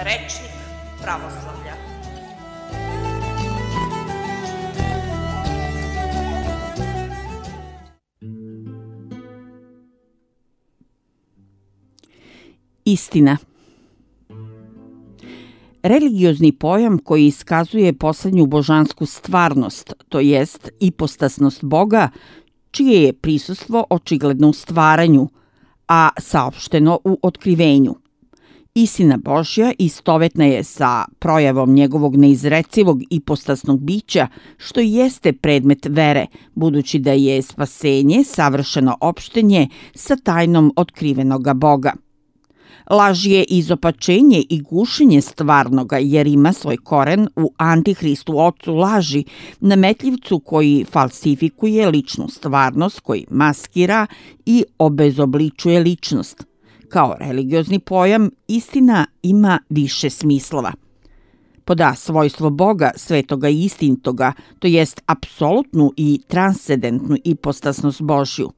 Rečnik pravoslavlja. Istina. Religiozni pojam koji iskazuje poslednju božansku stvarnost, to jest ipostasnost Boga, čije je prisustvo očigledno u stvaranju, a saopšteno u otkrivenju. Istina Božja istovetna je sa projavom njegovog neizrecivog ipostasnog bića, što jeste predmet vere, budući da je spasenje savršeno opštenje sa tajnom otkrivenoga Boga. Laž je izopačenje i gušenje stvarnoga, jer ima svoj koren u Antihristu, ocu laži, nametljivcu koji falsifikuje ličnu stvarnost, koji maskira i obezobličuje ličnost. Kao religiozni pojam, istina ima više smislova. Pod A, svojstvo Boga, svetoga i istinitoga, to jest apsolutnu i transcendentnu ipostasnost Božju.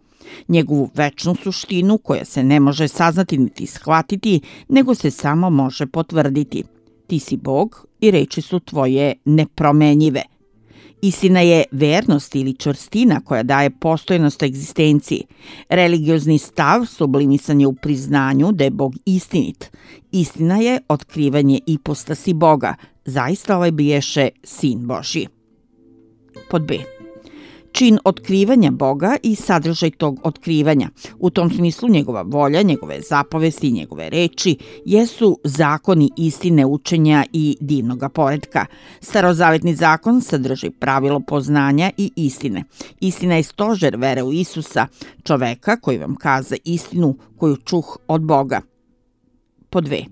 Njegovu večnu suštinu koja se ne može saznati niti shvatiti, nego se samo može potvrditi. Ti si Bog i reči su tvoje nepromenjive. Istina je vernost ili čvrstina koja daje postojnost egzistenciji. Religiozni stav sublimisan je u priznanju da je Bog istinit. Istina je otkrivanje ipostasi Boga. Zaista ovaj biješe Sin Božji. Pod B. Čin otkrivanja Boga i sadržaj tog otkrivanja. U tom smislu njegova volja, njegove zapovesti i njegove reči jesu zakoni istine, učenja i divnoga poretka. Starozavetni zakon sadrži pravilo poznanja i istine. Istina je stožer vere u Isusa, čoveka koji vam kaza istinu koju čuh od Boga. Pod 2.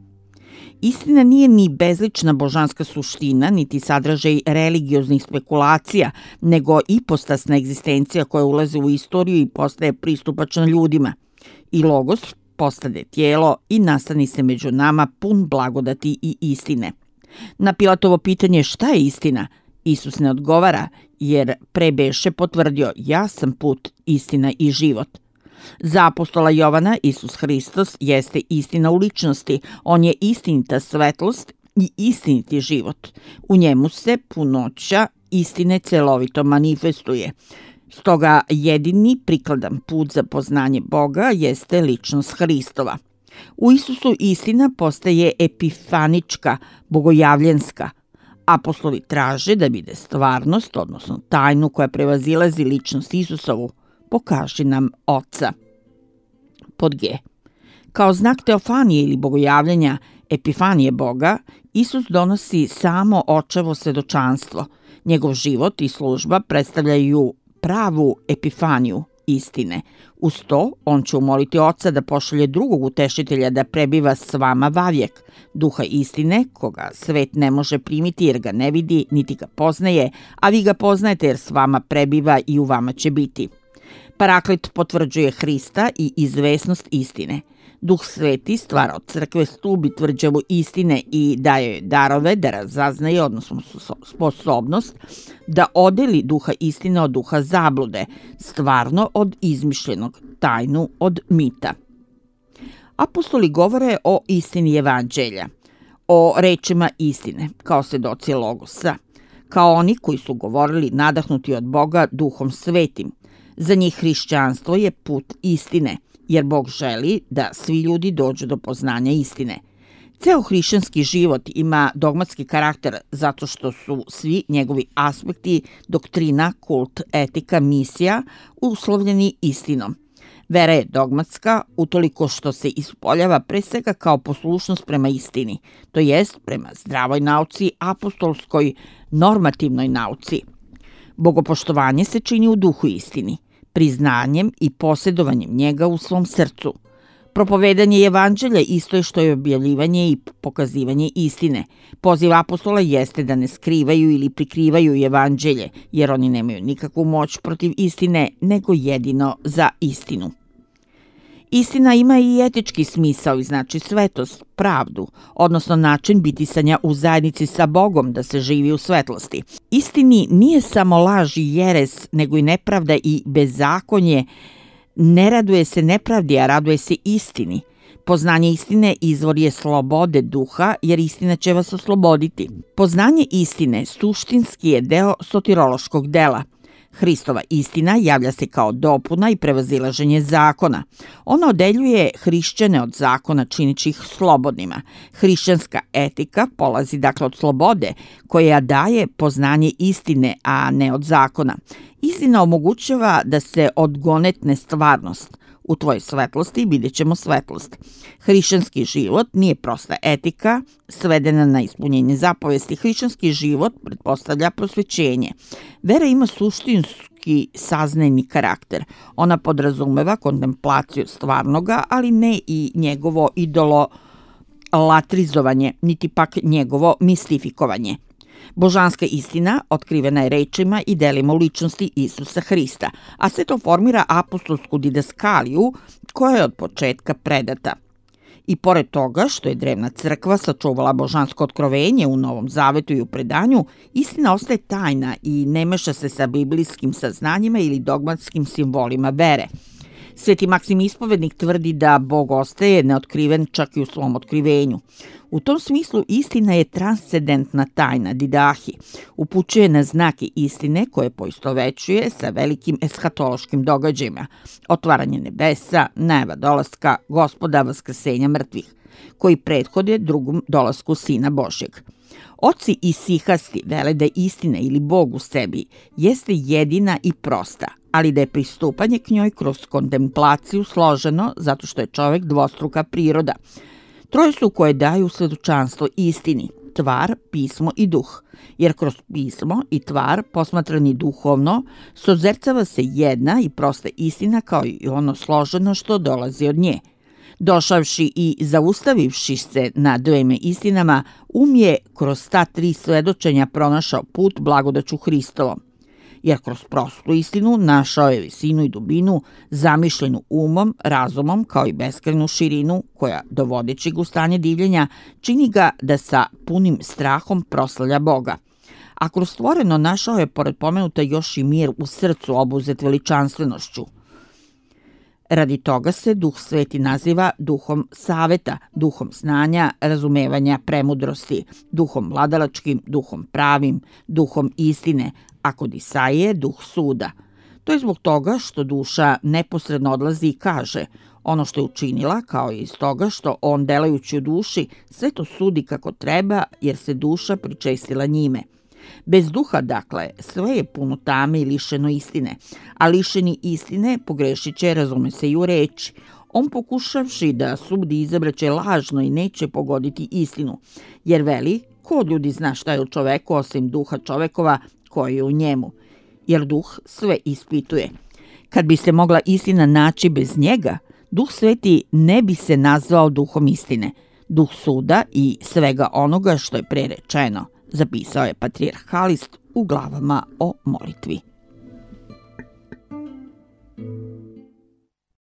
Istina nije ni bezlična božanska suština, niti sadržaj religioznih spekulacija, nego ipostasna egzistencija koja ulazi u istoriju i postaje pristupačna ljudima. I Logos postade tijelo i nastani se među nama pun blagodati i istine. Na Pilatovo pitanje šta je istina, Isus ne odgovara, jer pre beše potvrdio: ja sam put, istina i život. Za apostola Jovana, Isus Hristos jeste istina u ličnosti. On je istinita svetlost i istiniti život. U njemu se punoća istine celovito manifestuje. Stoga jedini prikladan put za poznanje Boga jeste ličnost Hristova. U Isusu istina postaje epifanička, bogojavljenska. Apostoli traže da vide stvarnost, odnosno tajnu koja prevazilazi ličnost Isusovu. Pokaži nam Oca. Pod G. Kao znak teofanije ili bogojavljenja, epifanije Boga, Isus donosi samo očevo svedočanstvo. Njegov život i služba predstavljaju pravu epifaniju istine. Uz to, on će umoliti Oca da pošalje drugog utešitelja da prebiva s vama vavijek, duha istine, koga svet ne može primiti jer ga ne vidi, niti ga poznaje, a vi ga poznajete jer s vama prebiva i u vama će biti. Paraklit potvrđuje Hrista i izvesnost istine. Duh Sveti stvara od crkve stub i tvrđavu istine i daje joj darove da razaznaje, odnosno sposobnost da odeli duha istine od duha zablude, stvarno od izmišljenog, tajnu od mita. Apostoli govore o istini evanđelja, o rečima istine, kao svedoci Logosa, kao oni koji su govorili nadahnuti od Boga duhom svetim. Za njih hrišćanstvo je put istine, jer Bog želi da svi ljudi dođu do poznanja istine. Ceo hrišćanski život ima dogmatski karakter zato što su svi njegovi aspekti, doktrina, kult, etika, misija uslovljeni istinom. Vera je dogmatska utoliko što se ispoljava pre svega kao poslušnost prema istini, to jest prema zdravoj nauci, apostolskoj, normativnoj nauci. Bogopoštovanje se čini u duhu istini, priznanjem i posjedovanjem njega u svom srcu. Propovedanje evanđelja isto je što je objavljivanje i pokazivanje istine. Poziv apostola jeste da ne skrivaju ili prikrivaju evanđelje, jer oni nemaju nikakvu moć protiv istine, nego jedino za istinu. Istina ima i etički smisao i znači svetost, pravdu, odnosno način bitisanja u zajednici sa Bogom da se živi u svetlosti. Istini nije samo laž i jeres, nego i nepravda i bezakonje. Ne raduje se nepravdi, a raduje se istini. Poznanje istine izvor je slobode duha, jer istina će vas osloboditi. Poznanje istine suštinski je deo sotirološkog dela. Hristova istina javlja se kao dopuna i prevazilaženje zakona. Ona odeljuje hrišćane od zakona činići ih slobodnima. Hrišćanska etika polazi dakle od slobode, koja daje poznanje istine, a ne od zakona. Istina omogućava da se odgonetne stvarnost. U tvojoj svetlosti vidjet ćemo svetlost. Hrišćanski život nije prosta etika, svedena na ispunjenje zapovesti. Hrišćanski život pretpostavlja prosvećenje. Vera ima suštinski saznajni karakter. Ona podrazumeva kontemplaciju stvarnoga, ali ne i njegovo idolatrizovanje, niti pak njegovo mistifikovanje. Božanska istina otkrivena je rečima i delima u ličnosti Isusa Hrista, a sve to formira apostolsku didaskaliju koja je od početka predata. I pored toga što je drevna crkva sačuvala božansko otkrovenje u Novom Zavetu i u predanju, istina ostaje tajna i ne meša se sa biblijskim saznanjima ili dogmatskim simbolima vere. Sveti Maksim Ispovednik tvrdi da Bog ostaje neotkriven čak i u svom otkrivenju. U tom smislu istina je transcendentna tajna, didahi. Upućuje na znake istine koje poistovećuje sa velikim eshatološkim događajima. Otvaranje nebesa, najava dolaska Gospoda, vaskrsenja mrtvih, koji prethode drugom dolasku Sina Božjeg. Oci isihasti vele da istina ili Bog u sebi jeste jedina i prosta, ali da je pristupanje k njoj kroz kontemplaciju složeno zato što je čovek dvostruka priroda. Troje su koje daju svedočanstvo istini, tvar, pismo i duh, jer kroz pismo i tvar, posmatrani duhovno, sozercava se jedna i prosta istina kao i ono složeno što dolazi od nje. Došavši i zaustavivši se na dvema istinama, je kroz ta tri svedočenja pronašao put blagodaću Hristovom. Jer kroz prostu istinu našao je visinu i dubinu, zamišljenu umom, razumom, kao i beskrajnu širinu, koja, dovodeći ga u stanje divljenja, čini ga da sa punim strahom proslavlja Boga. A kroz stvoreno našao je, pored pomenuta, još i mir u srcu obuzet veličanstvenošću. Radi toga se Duh Sveti naziva duhom saveta, duhom znanja, razumevanja, premudrosti, duhom vladalačkim, duhom pravim, duhom istine, a kod Isaije duh suda. To je zbog toga što duša neposredno odlazi i kaže ono što je učinila, kao i iz toga što on delajući u duši sve to sudi kako treba, jer se duša pričestila njime. Bez duha, dakle, sve je puno tame i lišeno istine, a lišeni istine pogrešit će, razume se i u reči. On pokušavši da sudi izabraće lažno i neće pogoditi istinu, jer veli, ko od ljudi zna šta je u čoveku osim duha čovekova koji je u njemu, jer duh sve ispituje. Kad bi se mogla istina naći bez njega, Duh Sveti ne bi se nazvao duhom istine, duh suda i svega onoga što je pre rečeno, zapisao je patrijarhalist u glavama o molitvi.